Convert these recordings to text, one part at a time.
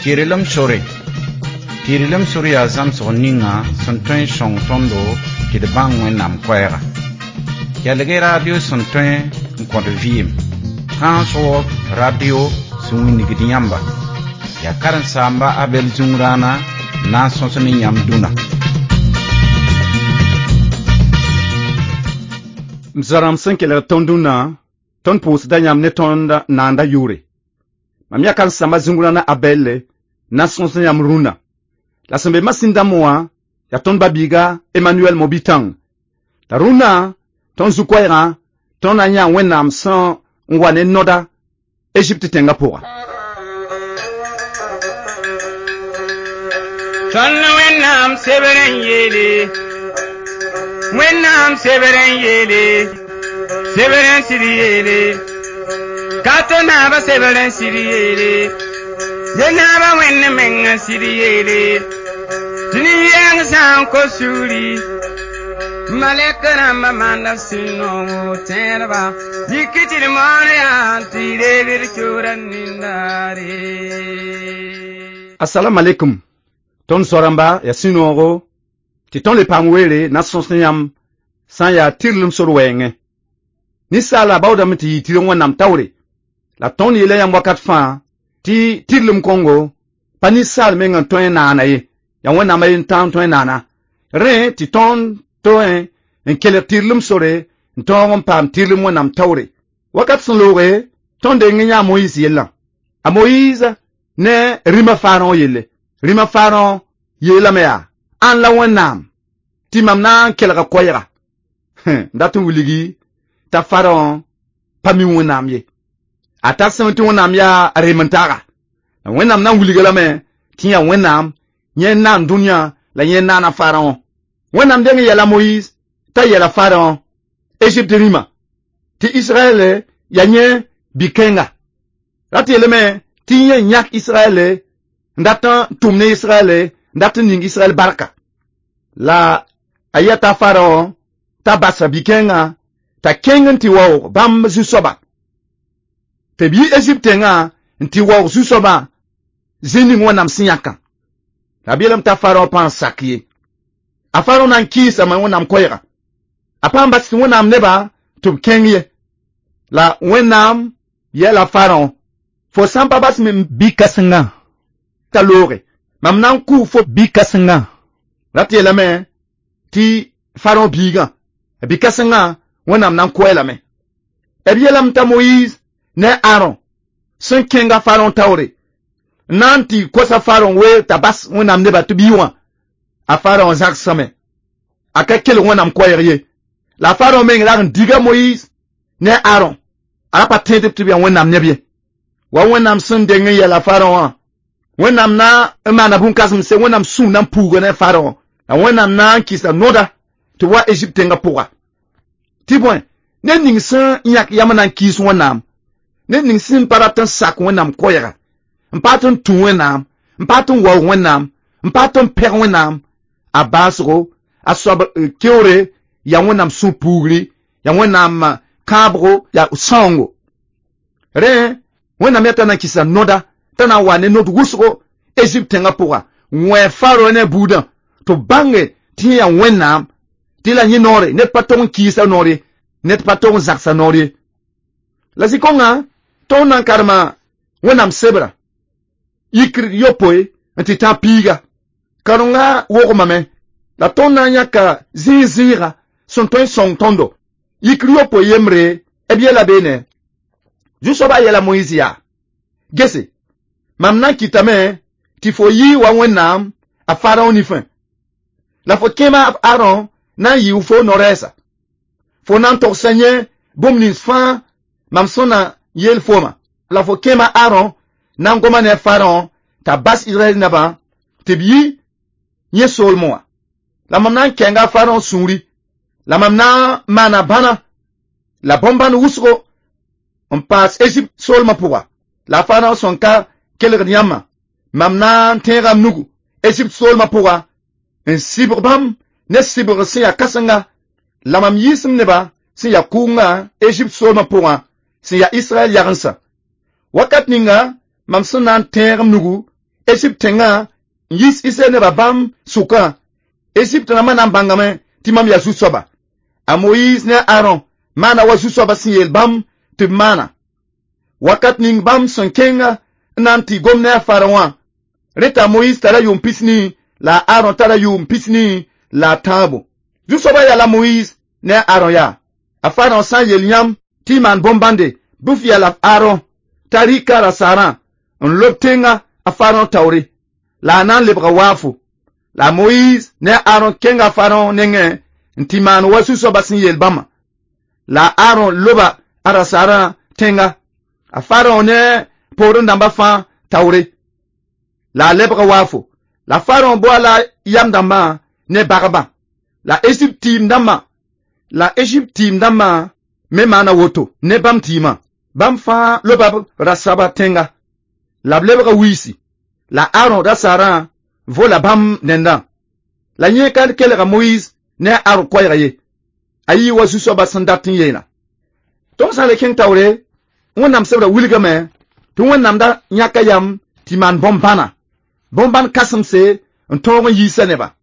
Tɩrlem sore. Tɩrlem sore yaa zãmsg ninga sẽn tõe n sõng tõndo tɩ d bãng Wẽnnaam koɛɛga. Kelg-y radio sẽn tõe n kõt vɩɩm. Trans World Radio sẽn wilgd yãmba. Yaa karen-saamba Abɛl Zũngrãana n na n sõs ne yãmb dũnna. M zoa-rãmb sẽn kelg tõnd dũnna, tõnd pʋʋsda yãmb ne tõnd naanda yʋʋre. Mam yaa karen-saamba Zũngrãana Abɛlle n na n sõs ne yãmb rũnna. La sẽn be masĩn dãmb wã yaa tõnd ba-biiga Emmanuel Mobitang. La rũnnã, tõnd zu-koɛɛgã, tõnd na n yãa Wẽnnaam sẽn n wa ne noda Egypte tẽngã pʋga. Tõnd Wẽnnaam sebr n yeele, Wẽnnaam sebr n yeele, sebr n sɩd yeele, ka tɩ naabã sebr n sɩd yeele, ye naabã Wẽnd meng n sɩd yeele, tɩ nin-yɛng sã n kos sugri, malɛk rãmbã maanda sũ-noogo tẽedba, yik tɩ d moon yaa tɩ y reeg d kiuudã nindaare. Assalamu alaikum. Tõnd zoa-rãmba yaa sũ-noogo tɩ tõnd le paam weere na n sõs ne yãmb sã n yaa tɩrlem sor wɛɛngẽ. Ninsaala baoodame tɩ yɩ tɩrg Wẽnnaam taoore. La tõnd yeela yãmb wakat fãa tɩ tɩrlem kõngo pa ninsaal meng n tõe n naana ye, yaa Wẽnnaam a yen tã n tõe n naana. Rẽ tɩ tõnd tõe n kelg tɩrlem sore n tõog n paam tɩrlem Wẽnnaam taoore. Wakat sẽn looge, tõnd deng n yãa Moyiis yellã. A Moyiis ne rĩmã Faarõ yelle. Rĩmã Faarõ yeelame yaa, ãn la Wẽnnaam tɩ mam na n kelga koɛɛga. N dat n wilgi t'a Faarõ pa mi Wẽnnaam ye. A tar sẽm tɩ Wẽnnaam yaa reem-n-taaga. La Wẽnnaam na n wilga lame tɩ yaa Wẽnnaam, yẽ n naan dũniyã la yẽ n naana Faarõ. Wẽnnaam deng n yɛla Moyiis t'a yɛla Faarõ Egypte rĩmã tɩ Israɛl yaa yẽ bi-kẽnga. Rat yeelame tɩ yẽ yãk Israɛl n dat n tʋm ne Israɛl n dat n ning Israɛl barka. La a yɛta Faarõ t'a basa bi-kẽngã t'a kẽng n tɩ waoog bãmb zu-soaba. Tɩ b yi Egypte tẽngã n tɩ waoog zu-soabã zĩ ning Wẽnnaam sẽn yãkã. La b yeelame t'a Faarõ pa n sak ye. A Faarõ na n kɩɩsame Wẽnnaam koɛɛga. A pa n bas tɩ Wẽnnaam nebã tɩ b kẽng ye. La Wẽnnaam yɛla Faarõ, fo sã n pa bas m bi-kãsengã t'a looge, mam na n kʋʋ fo bi-kãsengã. Rat yeelame tɩ Faarõ biigã, a bi-kãsengã Wẽnnaam na n kʋ-a lame. B yeelame t'a Moyiis ne Aron sẽn kẽnga Faarõ taoore n na n tɩ kosa Faarõ weer t'a bas Wẽnnaam nebã tɩ b yi wã. A Faarõ zagsame. A ka kelg Wẽnnaam koɛɛg ye. La a Faarõ meng rag n diga Moyiis ne Aron. A ra pa tẽedb tɩ b yaa Wẽnnaam neb ye. Wa Wẽnnaam sẽn deng n yɛla Faarõ wã, Wẽnnaam na n maana bũn-kãsems Wẽnnaam sũur na n puuga ne Faarõ. La Wẽnnaam na n kɩsa noda tɩ wa Egypte tẽngã pʋga. Tɩ bõe, ned ning sẽn yãk yam n na n kɩɩs Wẽnnaam, ned ning sẽn pa rat n sak Wẽnnaam koɛɛga, n pa tɩ n tũ Wẽnnaam, n pa tɩ n waoog Wẽnnaam, n pa tɩ n pɛg Wẽnnaam, a baasgo, a soab keoore yaa Wẽnnaam sũ-puugri, yaa Wẽnnaam kãabgo, yaa sãoongo. Rẽ, Wẽnnaam yaa t'a na n kɩsa noda, t'a na n wa ne nod wʋsgo Egypte tẽngã pʋga, n wẽ Faarõ ne a buudã, tɩ b bãnge tɩ yẽ yaa Wẽnnaam, tɩ la yẽ noore, ned pa tog n kɩɩsa noor ye, ned pa tog n zagsa noor ye. La zĩ-kõngã, tõnd na n karema Wẽnnaam sebra, yikr yopoe n tɩ tã piiga. Karengã wogmame, la tõnd na n yãka zĩig-zĩiga sẽn tõe n sõng tõndo. Yikr yopoe yembre, b yɛla beene. Zu-soabã yɛla Moyiis yaa, gese, mam na n kɩtame tɩ fo yɩ wa Wẽnnaam a Faarõ nifẽ. La fo kẽema Aron na n yɩ fo no-rɛɛsa. Fo na n togsa yẽ bũmb nins fãa mam sẽn na yeel fooma. La fo kẽema Aron na n goma ne a Faarõ t'a bas Israɛl nebã tɩ b yi yẽ soolmẽ wã. La mam na n kɛnga a Faarõ sũuri. La mam na n maana bãna la bõn-bãn wʋsgo n paas Egypte soolmã pʋga. La a Faarõ sẽn ka kelgd yãmbã, mam na n tẽega m nugu Egypte soolmã pʋga n sɩbg bãmb ne sɩbgr sẽn yaa kãsenga. La mam yiisem nebã sẽn yaa kʋʋngã Egypte soolmã pʋgã sẽn yaa Israɛl yagensã. Wakat ninga mam sẽn na n tẽeg m nugu Egypte tẽngã n yis Israɛl nebã bãmb sʋkã. Egypte rãmbã na n bãngame tɩ mam yaa Zu-soaba. A Moyiis ne a Aron maana wa Zu-soabã sẽn yeel bãmb tɩ b maana. Wakat ning bãmb sẽn kẽnga n na n tɩ gom ne a Faraõ wã. Rẽ t'a Moyiis tara yʋʋm 90 la a Aron tara yʋʋm 93. Zu-soabã yaa la Moyiis ne a Aron yaa. A Faraõ sã n yel yãmb tɩ y maan bõn-bãnde, bɩ f yɛla Aron t'a rɩka rasaarã n lob tẽngã a Faraõ taoore, la a na n lebga waafo. La Moyiis ne a Aron kẽnga Faraõ nengẽ n tɩ maan wa Zu-soabã sẽn yeel bãmba. La Aron loba a rasaarã tẽnga, a Faraõ ne poorẽ dãmbã fãa taoore, la a lebga waafo. La Faraõ boa la yam dãmbã ne bagbã, la Egypte tɩɩm dãmbã me maana woto ne bãmb tɩɩmã. Bãmb fãa loba b rasaba tẽnga, la b lebga wiisi. La Aron rasaarã vola bãmb nendã. La yẽ ka kelga Moyiis ne a Aron koɛɛga ye. A yɩ wa Zu-soabã sẽn dat n yeela. Tõnd sã n le kẽng taoore, Wẽnnaam sebra wilgame tɩ Wẽnnaam da yãka yam tɩ maan bõn-bãna. Bõn-bãn kãsemse n tõog n yiisa nebã.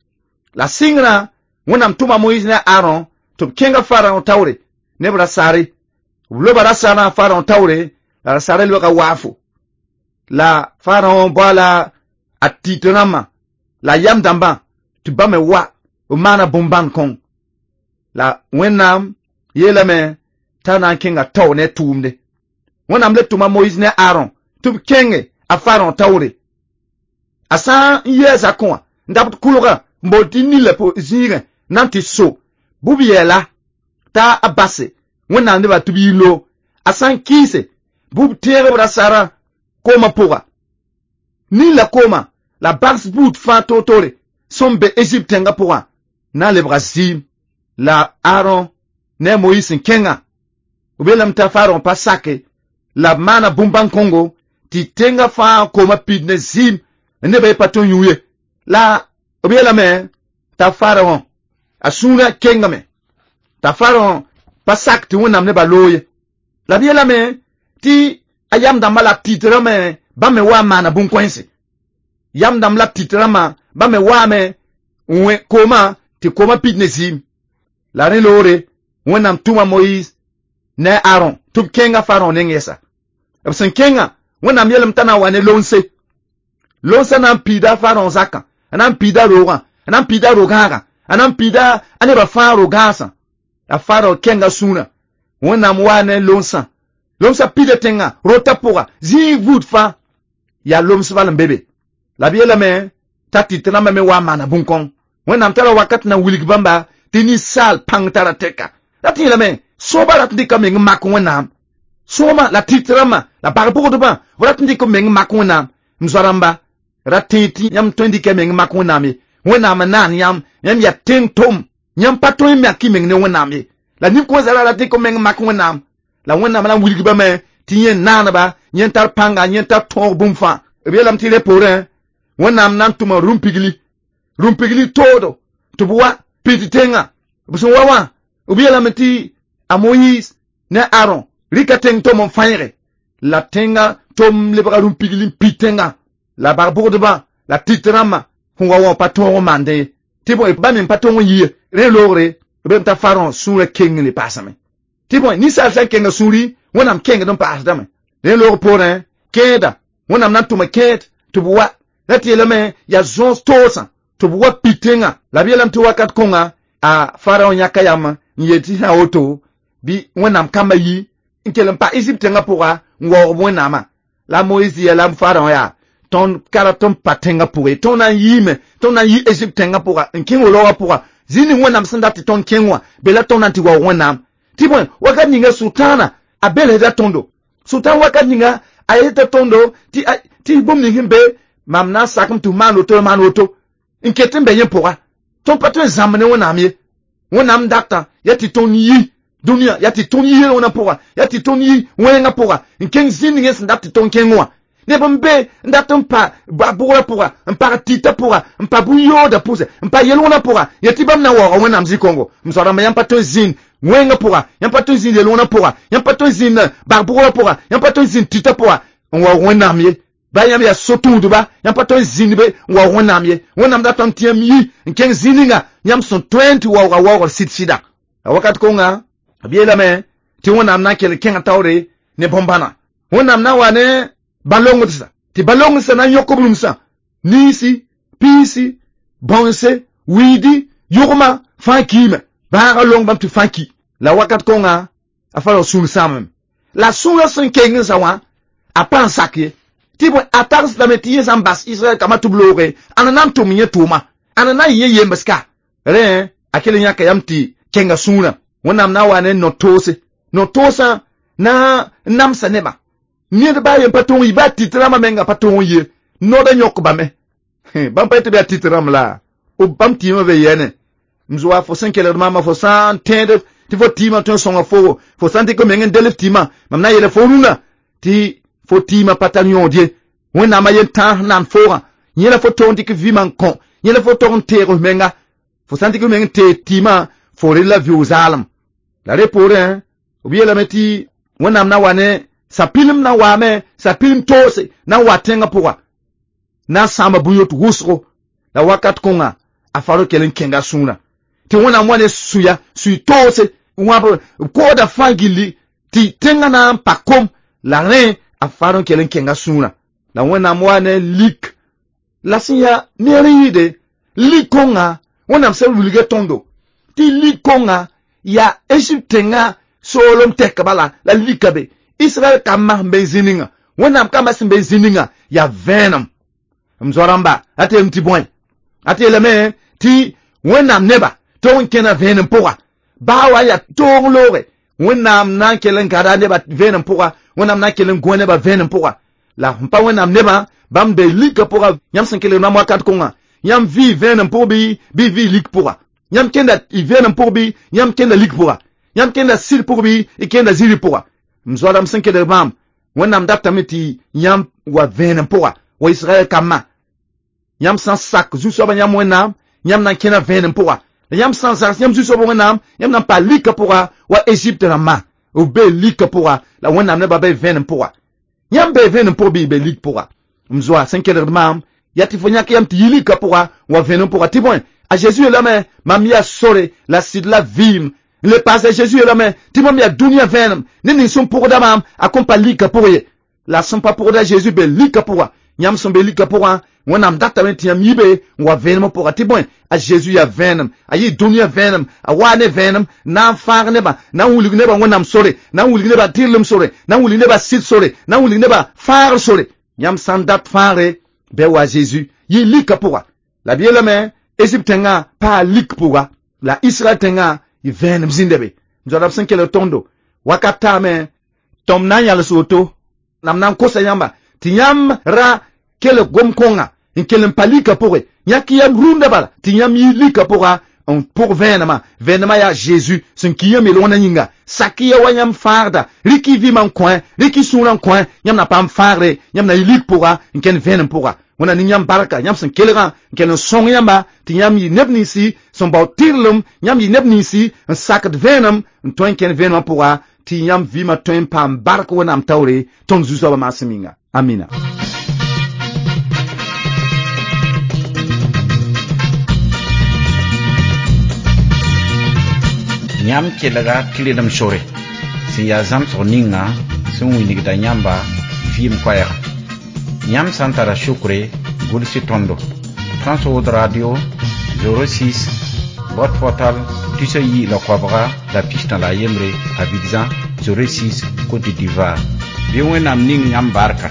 La sɩngrã Wẽnnaam tʋma Moyiis ne a Aron tɩ b kẽnga Faraõ taoore ne b rasaare. B loba rasaarã Faraõ taoore, la rasaarã lebga waafo. La Faraõ bao la a tɩt rãmbã la yam dãmbã tɩ bãmb me wa b maana bõn-bãn kõng. La Wẽnnaam yeelame t'a na n kẽnga tao ne tʋʋmde. Wẽnnaam le tʋma Moyiis ne Aron tɩ b kẽnge a Faraõ taoore. A sã n yɩ a zakẽ wã n dabd kʋlgã n bool tɩ nila zĩigẽ na n tɩ so, bɩ b yɛɛla t'a a base Wẽnnaam nebã tɩ b yi loog. A sã n kɩɩse, bɩ b tẽeg b rasaarã koomã pʋga. Nila koomã la bags buud fãa toor-toore sẽn be Egypte tẽngã pʋgã na n lebga zɩɩm. La Aron ne a Moyiis sẽn kẽngã, b yeelame t'a Faraõ pa sake la b maana bũmb-bãn kõngo tɩ tẽngã fãa koomã pid ne zɩɩm nebã ye pa tõe n yũ ye. La b yeelame t'a Faraõ a sũurã kengame, t'a Faraõ pa sak tɩ Wẽnnaam nebã loog ye. La b yeelame tɩ a yam dãmbã la tɩt rãmbã bãmb me wa n maana bũn-kõense. Yam dãmb la tɩt rãmbã bãmb me waame n wẽ koomã tɩ koomã pid ne zɩɩm. La rẽ loore Wẽnnaam tʋma Moyiis ne a Aron tɩ b kẽnga Faraõ neng yɛsa. B sẽn kẽngã, Wẽnnaam yeelame t'a na n wa ne lonse. Lonsã na n piida Faraõ zakã, a na n piida roogã, a na n piida ro-gãagã, a na n piida a nebã fãa ro-gãasã. La Faraõ kẽnga sũurã, Wẽnnaam waa ne lonsã. Lomsã pida tẽngã, rotã pʋga, zĩig buud fãa, yaa loms bal n be be. La b yeelame t'a tɩt rãmbã me wa n maana bũn-kõng. Wẽnnaam tara wakat na n wilg bãmba tɩ ninsaal pãng tara tɛka. La tɩ yeelame, sõoba rat n dɩka meng n mak Wẽnnaam. Sõoma la tɩt rãmbã la bag-bʋgdbã b rat n dɩk b meng n mak Wẽnnaam. M zoa-rãmba, ra tẽe tɩ yãmb tõe n dɩka meng n mak Wẽnnaam ye. Wẽnnaam n naan yãmb, yãmb yaa tẽng tom. Yãmb pa tõe n mak y meng ne Wẽnnaam ye. La nin-kõ zara rat dɩk b meng n mak Wẽnnaam. La Wẽnnaam na n wilg bame tɩ yẽ naaneba, yẽ tar pãnga, yẽ tar tõog bũmb fãa. B yeelame tɩ rẽ poorẽ, Wẽnnaam na n tʋma rũm-pigli. Rũm-pigli toodo tɩ b wa pid tẽngã. B sẽn wa wã, b yeelame tɩ a Moyiis ne Aron rɩka tẽng tom n fãeege. La tẽngã tom lebga rũm-pigli n pid tẽngã. La bag-bʋgdbã la tɩt rãmbã sẽn wa wã pa tõog n maandẽ ye. Tɩ bõe bãmb me pa tõog n yi ye. Rẽ loogre, b yeelame t'a Faraõ sũurã keng n le paasame. Tɩ bõe ninsaal sã n kenga sũuri, Wẽnnaam kengd n paasdame. Rẽ loog poorẽ, kẽeda, Wẽnnaam na n tʋma kẽed tɩ b wa. La tɩ yeelame yaa zõos toosã tɩ b wa pid tẽngã. La b yeelame tɩ wakat kõnga a Faraõ yãka yam n yeel tɩ sã woto bɩ Wẽnnaam kambã yi n kell n pa Egypte tẽngã pʋga n waoog Wẽnnaamã. La Moyiis yeela Faraõ yaa tõnd ka rat n pa tẽngã pʋgẽ ye. Tõnd na n yiime, tõnd na n yi Egypte tẽngã pʋga n kẽng roogã pʋga. Zĩig ning Wẽnnaam sẽn dat tɩ tõnd kẽng wã, be la tõnd na n tɩ waoog Wẽnnaam. Tɩ bõe wakat ninga Sʋtãana a belsda tõndo. Sʋtãan wakat ninga a yeta tõndo tɩ bũmb ning sẽn be mam na n sakem tɩ f maan woto maan woto n ket n be yẽ pʋga. Tõnd pa tõe n zãmb ne Wẽnnaam ye. Wẽnnaam datã yaa tɩ tõnd yi dũniyã, yaa tɩ tõnd yi yel-wẽnã pʋga, yaa tɩ tõnd yi wẽngã pʋga n kẽng zĩnd ning sẽn dat tɩ tõnd kẽng wã. Neb n be n dat n pa bʋgrã pʋga, n pag tɩtã pʋga, n pa bũn-yoodã pʋsɛ, n pa yel-wẽnã pʋga, yaa tɩ bãmb na n waooga Wẽnnaam zĩ-kõngo. M soa-rãmba, yãmb pa tõe n zĩnd wẽngã pʋga, yãmb pa tõe n zĩnd yel-wẽnã pʋga, yãmb pa tõe n zĩnd bag-bʋgrã pʋga, yãmb pa tõe n zĩnd tɩtã pʋga n waoog Wẽnnaam ye. Ba yãmb yaa so-tũudba, yãmb pa tõe n zĩnd be n waoog Wẽnnaam ye. Wẽnnaam datame tɩ yãmb yi n kẽng zĩ ninga yãmb sẽn tõe n tɩ waooga waoogr sɩd-sɩda. La wakat kõnga b yeelame tɩ Wẽnnaam na n kell n kẽngã taoore ne bõn-bãna. Wẽnnaam na n wa ne bã-longldsã, tɩ bã-longldsã na n yõk b rũmsã, niisi, piisi, bãonse, wiidi, yʋgmã fãa kiime. Bãagã long bãmb tɩ fãa ki. La wakat kõnga a fara sũur sãamame. La sũurã sẽn keng n sa wã, a pa n sak ye. Tɩ bõe a tagsdame tɩ yẽ sã n bas Israɛl kambã tɩ b looge, ãnda na n tʋm yẽ tʋʋma, ãnda na n yẽ yembs ka. Rẽ a kell n yãka yam tɩ kẽnga sũurã. Wẽnnaam na n wa ne no-toose. No-toosã na n namsa nebã. Ned baa yen pa tõog n yi, baa tit rãmbã menga pa tõog n ye. Noodã yõk bame. Bãmb pa yet tɩ b yaa tit rãmb la b bãmb tɩɩmã be yɛne. M zoa fo sẽn kelgd maamã, fo sã n tẽed tɩ fo tɩɩmã tõe n sõnga foogo, fo sã n dɩk meng n del f tɩɩmã, mam na n yeela fo rũnã tɩ fo tɩɩmã pa tar yõod ye. Wẽnnaamã yen tãas n nan foogã. Yẽ la fo tog n dɩk vɩɩmã n kõ, yẽ la fo tog n teeg f menga. Fo sã n dɩk f meng n teeg tɩɩmã, fo rel la vɩʋʋg zaalem. La rẽ poorẽ, b yeelame tɩ Wẽnnaam na wa ne sapilm na n waame, sapilm toose na n wa tẽngã pʋga, na n sãama bũn-yot wʋsgo. La wakat kõnga a faro kell n kẽnga sũurã. Tɩ Wẽnnaam wa ne sũya, sũy toose, wãb b koodã fãa gilli tɩ tẽngã na n pa kom. La rẽ a faro n kell n kẽnga sũurã. La Wẽnnaam wa ne lik. La sẽn yaa neer n yɩɩde, lik kõnga Wẽnnaam sẽn wilga tõndo tɩ lik kõnga yaa Egypte tẽngã soolem tɛk bala la lika be. Israɛl kambã sẽn be zĩ ninga, Wẽnnaam kambã sẽn be zĩ ninga yaa vẽenem. M zoa-rãmba, a tɩ yeelame tɩ bõe? A tɩ yeelame tɩ Wẽnnaam neba tog n kẽna vẽenem pʋga. Baa wa n yaa toog looge, Wẽnnaam na n kell n gada nebã vẽenem pʋga, Wẽnnaam na n kell n gõ nebã vẽenem pʋga. La sẽn pa Wẽnnaam nebã, bãmb be likã pʋga. Yãmb sẽn kelgd maam wakat kõnga, yãmb vɩ vẽenem pʋg bɩ vɩ lik pʋga. Yãmb kẽnda y vẽenem pʋg bɩ yãmb kẽnda lik pʋga. Yãmb kẽnda sɩd pʋg bɩ y kẽnda zĩri pʋga. M zoa-rãmb sẽn kelg maam, Wẽnnaam datame tɩ yãmb wa vẽenem pʋga, wa Israɛl kambã. Yãmb sã n sak zu-soabã yãmb Wẽnnaam, yãmb na n kẽna vẽenem pʋga. La yãmb sã n zags yãmb zu-soabã Wẽnnaam, yãmb na n pa likã pʋga wa Egypte rãmbã. B bee likã pʋga, la Wẽnnaam nebã be vẽenem pʋga. Yãmb bee vẽenem pʋg bɩ y be lik pʋga. M zoa sẽn kelgd maam, yaa tɩ fo yãk yam tɩ yi likã pʋga wa vẽenem pʋga. Tɩ bõe, a Zeezi yeelame, mam yaa sore la sɩd la vɩɩm. N le paase Zeezi yeelame tɩ mam yaa dũniyã vẽenem. Ned ning sẽn pʋgda maam, a kõn pa likã pʋg ye. La sẽn pa pʋgda Zeezi be likã pʋga. Yãmb sẽn be likã pʋgã, Wẽnnaam datame tɩ yãmb yi be n wa vẽenemã pʋga. Tɩ bõe, a Zeezi yaa vẽenem, a yɩ dũniyã vẽenem, a waa ne vẽenem, na n fãag nebã, na n wilg nebã Wẽnnaam sore, na n wilg nebã tɩrlem sore, na n wilg nebã sɩd sore, na n wilg nebã fãagr sore. Yãmb sã n dat fãagre, bɩ wa Zeezi yɩ likã pʋga. La b yeelame, Egypte tẽngã paa lik pʋga, la Israɛl tẽngã y vẽenem zĩnda be. M zoa-rãmb sẽn kelg tõndo, wakat taame, tõm na n yãls woto, la m na n kosa yãmba tɩ yãmb ra kelg gom-kõnga n kell n pa likã pʋgẽ. Yãk yam rũndã bala tɩ yãmb yi likã pʋga n pʋg vẽenemã. Vẽenemã yaa Zeezi sẽn ki yãmb yel-wẽnã yĩnga. Sak ya wa yãmb fãagda, rɩk y vɩɩmã n kõ, rɩk y sũurã n kõ, yãmb na paam fãagre, yãmb na yɩ lik pʋga n kẽnd vẽenem pʋga. Wẽnnaam ning yãmb barka, yãmb sẽn kelgã n kell n sõng yãmba tɩ yãmb yɩ neb ninsi sẽn bao tɩrlem, yãmb yɩ neb ninsi n sakd vẽenem n tõe n kẽnd vẽenemã pʋga tɩ yãmb vɩɩmã tõe n paam bark Wẽnnaam taoore tõnd Zu-soabã maasem yĩnga. Amina. Yãmb kelga tɩrlem sore sẽn yaa zãmsg ninga sẽn wilgda yãmba vɩɩm koɛɛga. Yãmb sã n tara sukre, gʋls tõndo. Transworld Radio 06 boîte postale 219 Abidjan 06 Côte d'Ivoire. Bɩ Wẽnnaam ning yãmb barka.